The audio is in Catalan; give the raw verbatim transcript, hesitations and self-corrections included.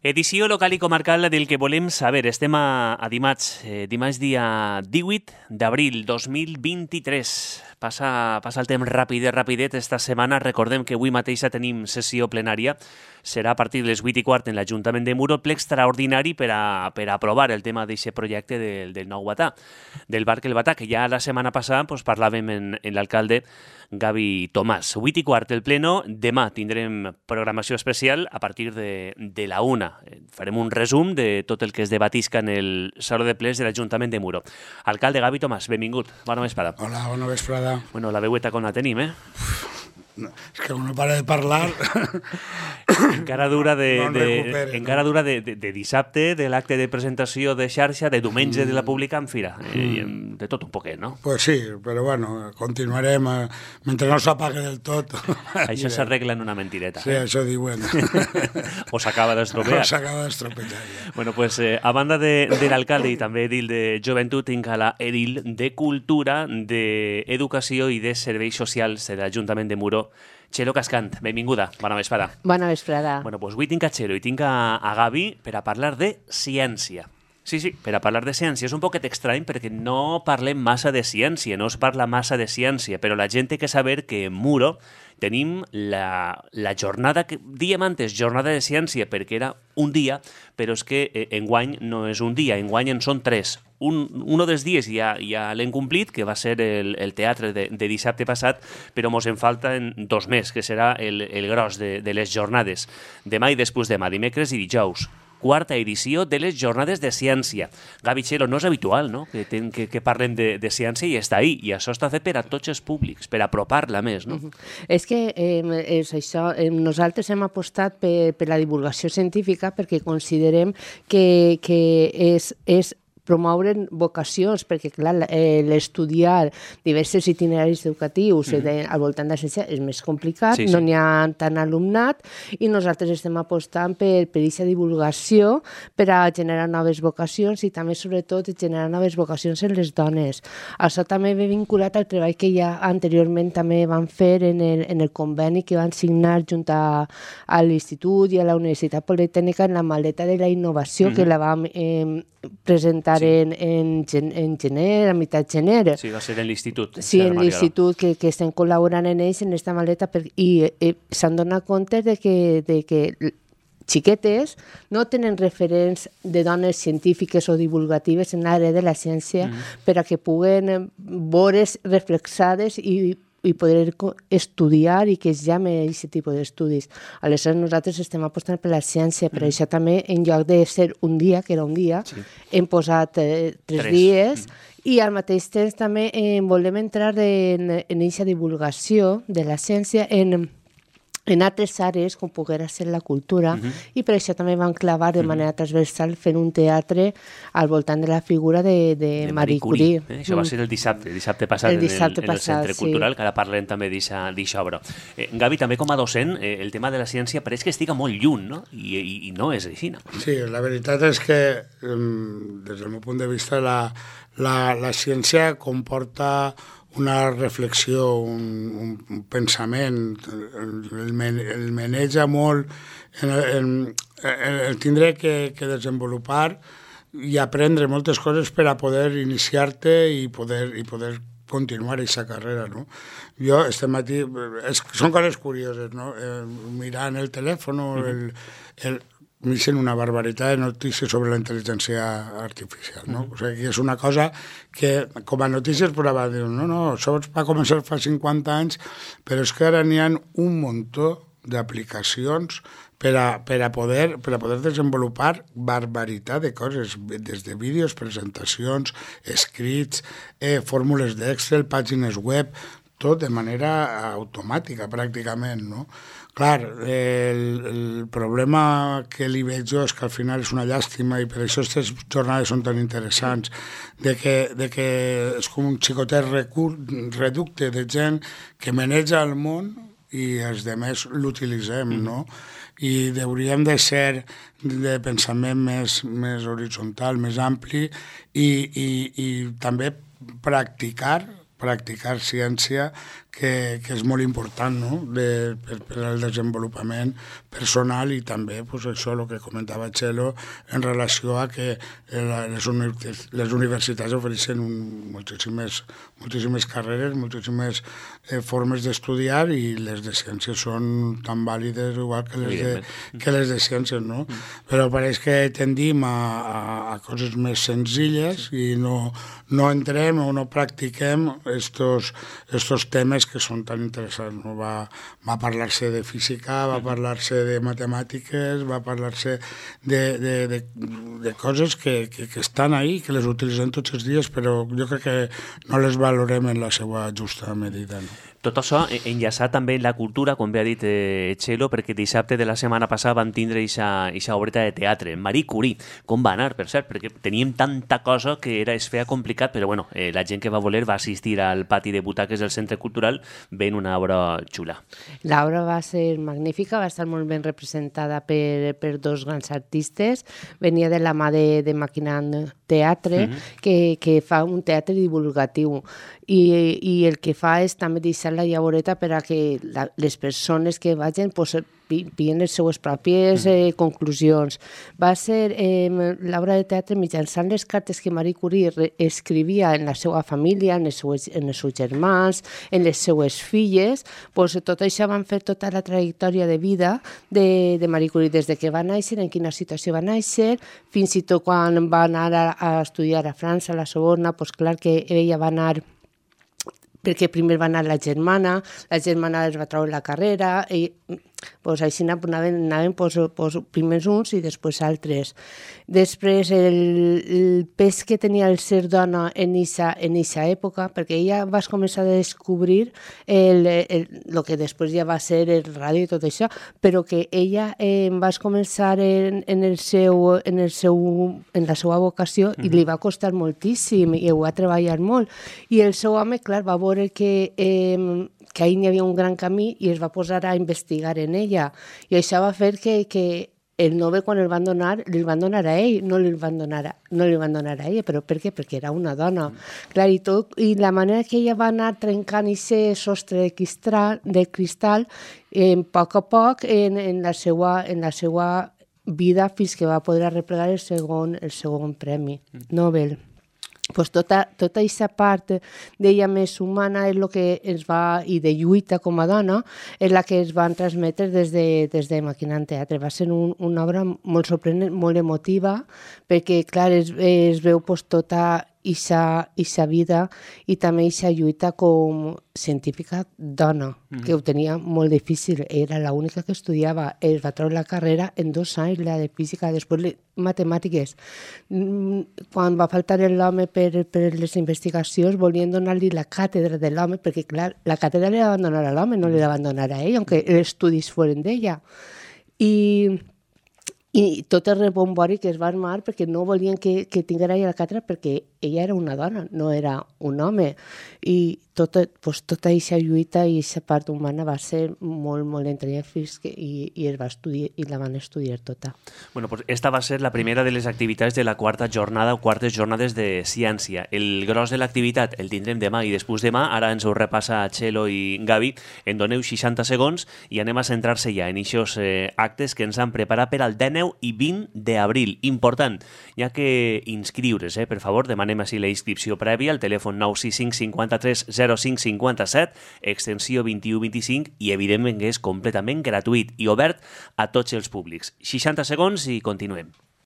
Edició local i comarcal del que volem saber. Estem a, a dimarts, eh, dimarts dia divuit d'abril dos mil vint-i-tres. Passa, passa el temps rapidet, rapidet esta setmana. Recordem que avui mateixa tenim sessió plenària. Serà a partir de les vuit i quart en l'Ajuntament de Muro, ple extraordinari per a, per a aprovar el tema d'aquest projecte del, del nou Batà, del Parc El Batà, que ja la setmana passada pues, parlàvem en, en l'alcalde Gavi Tomàs. vuit i quart el pleno. Demà tindrem programació especial a partir de, de la una. Farem un resum de tot el que es debatisca en el Saló de Plens de l'Ajuntament de Muro. Alcalde Gavi Tomàs, benvingut. Bona vesprada. Hola, bona vesprada. Bueno, la veueta com la tenim, eh? No, és que no para de parlar. Encara dura de, no de, recupere, encara no? dura de, de, de dissabte, de l'acte de presentació de xarxa, de diumenge mm. de la pública en fira. Eh, mm. De tot un poquet, no? Pues sí, però bueno, continuarem eh, mentre no s'apague del tot. Això s'arregla en una mentireta. Sí, eh? això diuen. O s'acaba d'estropear. O s'acaba d'estropear. Ja. Bueno, pues eh, a banda de, de l'alcalde i també edil de joventut, tinc a la edil de cultura, d'educació i de serveis socials de l'Ajuntament de Muro, Txelo Cascant. Benvinguda, bona vesprada. Bona vesprada. Bueno, pues avui tinc a Txelo i tinc a, a Gavi per a parlar de ciència. Sí, sí, per a parlar de ciència. És un poquet estrany perquè no parlem massa de ciència, no es parla massa de ciència, però la gent té que saber que en Muro tenim la, la jornada, que diem antes jornada de ciència perquè era un dia, però és que eh, enguany no és un dia, enguany en són tres. Un, un dels dies ja, ja l'hem complit, que va ser el, el teatre de, de dissabte passat, però mos en falten dos més, que serà el, el gros de, de les jornades. Demà i després demà, dimecres i dijous. Quarta edició de les jornades de ciència. Gavi, Txelo, no és habitual, no?, que, ten, que, que parlem de, de ciència i està ahí, i això està fet per a tots els públics, per apropar-la més, no? Uh-huh. És que eh, és això, eh, nosaltres hem apostat per, per la divulgació científica perquè considerem que, que és, és promoure'n vocacions, perquè clar, eh, l'estudiar diversos itineraris educatius mm -hmm. al voltant de la ciència és més complicat, sí, sí. No n'hi ha tant alumnat i nosaltres estem apostant per per aquesta divulgació per a generar noves vocacions i també, sobretot, generar noves vocacions en les dones. Això també ve vinculat al treball que ja anteriorment també van fer en el, en el conveni que van signar junt a, a l'Institut i a la Universitat Politècnica en la maleta de la innovació mm -hmm. que la vam eh, presentar sí. en, en, en gener, a meitat gener. Sí, va ser en l'institut. Sí, en l'institut, que, que estem col·laborant en ells en aquesta maleta per, i eh, s'han donat compte de que, de que xiquetes no tenen referents de dones científiques o divulgatives en l'àrea de la ciència mm. per a que puguen veure's reflexades i i poder estudiar i que es llame aquest tipus d'estudis. Aleshores, nosaltres estem apostant per la ciència, per mm. això també, en lloc de ser un dia, que era un dia, sí. hem posat eh, tres, tres dies, mm. i al mateix temps també eh, volem entrar en aquesta divulgació de la ciència en en altres àrees, com poguera ser la cultura, uh-huh. i per això també van clavar de manera uh-huh. transversal fent un teatre al voltant de la figura de, de, de Marie Curie. Curie. Eh? Això mm. va ser el dissabte, el dissabte passat, el dissabte en, el, passat, en el Centre sí. Cultural, que ara parlem també d'aquesta obra. Eh, Gavi, també com a docent, eh, el tema de la ciència pareix que estiga molt lluny, no? I, i, i no és així, no? Sí, la veritat és que, des del meu punt de vista, la, la, la ciència comporta una reflexió, un, un pensament, el, el maneja molt, el, el, el tindre que, que desenvolupar i aprendre moltes coses per a poder iniciar-te i poder, i poder continuar aquesta carrera, no? Jo, este matí, és, són coses curioses, no? Eh, mirant el telèfon, uh-huh. el, el m'hicen una barbaritat de notícies sobre la intel·ligència artificial, no? Mm. O sigui, és una cosa que, com a notícies, però dir, no, no, això va començar fa cinquanta anys, però és que ara n'hi ha un muntó d'aplicacions per a, per a, poder, per a poder desenvolupar barbaritat de coses, des de vídeos, presentacions, escrits, eh, fórmules d'Excel, pàgines web, tot de manera automàtica, pràcticament, no? Clar, el, el problema que li veig jo és que al final és una llàstima i per això aquestes jornades són tan interessants, de que, de que és com un xicotet recur, reducte de gent que maneja el món i els demés l'utilitzem, no? I hauríem de ser de pensament més, més horitzontal, més ampli i, i, i també practicar practicar ciència que, que és molt important, no? de, per, per al desenvolupament personal i també pues, això, el que comentava Txelo, en relació a que les, uni les universitats ofereixen un, moltíssimes, moltíssimes carreres, moltíssimes eh, formes d'estudiar i les de ciències són tan vàlides igual que les de, que les de ciències, no? Mm. Però pareix que tendim a, a, a coses més senzilles i no, no entrem o no practiquem estos, estos temes que són tan interessants. No? Va, va parlar-se de física, va parlar-se de matemàtiques, va parlar-se de, de, de, de coses que, que, que estan ahí, que les utilitzem tots els dies, però jo crec que no les valorem en la seva justa medida. No? Tot això enllaçat també en la cultura, com bé ha dit eh, Txelo, perquè dissabte de la setmana passada vam tindre aquesta obreta de teatre, Marie Curie. Com va anar, per cert? Perquè teníem tanta cosa que era es feia complicat, però bueno, eh, la gent que va voler va assistir al pati de butaques del Centre Cultural veient una obra xula. L'obra va ser magnífica, va estar molt ben representada per, per dos grans artistes. Venia de la mà de, de Maquinant Teatre, mm-hmm. que, que fa un teatre divulgatiu. I, i el que fa és també deixar la llavoreta per a que la, les persones que vagin pues, pillen les seues pròpies eh, conclusions. Va ser eh, l'obra de teatre mitjançant les cartes que Marie Curie escrivia en la seva família, en els seus, en els seus germans, en les seues filles. Pues, tot això van fer tota la trajectòria de vida de, de Marie Curie, des de que va néixer, en quina situació va néixer, fins i tot quan va anar a, a estudiar a França, a la Sorbona, pues, clar que ella va anar perquè primer va anar la germana, la germana es va treure la carrera, i pues, així anaven, anaven pues, pues, primers uns i després altres. Després, el, el pes que tenia el ser dona en aquesta en època, perquè ella va començar a descobrir el, el, el que després ja va ser el ràdio i tot això, però que ella eh, va començar en, en, el seu, en, el seu, en la seva vocació mm-hmm. i li va costar moltíssim i ho va treballar molt. I el seu home, clar, va veure que, eh, que ahir n'hi havia un gran camí i es va posar a investigar en ella. I això va fer que, que el Nobel, quan el van donar, li van donar a ell, no li van donar a, no li van donar a ella. Però per què? Perquè era una dona. Mm. Clar, i, tot, i la manera que ella va anar trencant aquest sostre de cristal, de cristal eh, a poc a poc en, en, la seva, en la seva vida fins que va poder arreplegar el segon, el segon premi mm. Nobel. Pues tota, tota aquesta part d'ella més humana és el que ens va, i de lluita com a dona, és la que es van transmetre des de, des de Maquinant Teatre. Va ser un, una obra molt sorprenent, molt emotiva, perquè, clar, es, es veu pues, tota aquesta vida i també aquesta lluita com científica dona, mm-hmm. que ho tenia molt difícil. Era l'única que estudiava. Es va treure la carrera en dos anys, la de física, després matemàtiques. Quan va faltar l'home per, per les investigacions, volien donar-li la càtedra de l'home, perquè, clar, la càtedra li van donar a l'home, no li van donar a ell, aunque els estudis foren d'ella. I... I tot el rebombori que es va armar perquè no volien que, que tinguera ella la càtedra perquè ella era una dona, no era un home. I tota, pues, tota aquesta lluita i aquesta part humana va ser molt, molt entrenyent fins que i, i, es va estudiar, i la van estudiar tota. Bueno, pues esta va ser la primera de les activitats de la quarta jornada o quartes jornades de ciència. El gros de l'activitat el tindrem demà i després demà. Ara ens ho repassa Txelo i Gavi. En doneu seixanta segons i anem a centrar-se ja en aquests eh, actes que ens han preparat per al dèneu i vint d'abril. Important, hi ha que inscriure's, eh? Per favor, demanem així la inscripció prèvia al telèfon nou sis cinc cinquanta-tres zero cinc cinquanta-set, extensió vint-i-u vint-i-cinc, i evidentment que és completament gratuït i obert a tots els públics. seixanta segons i continuem.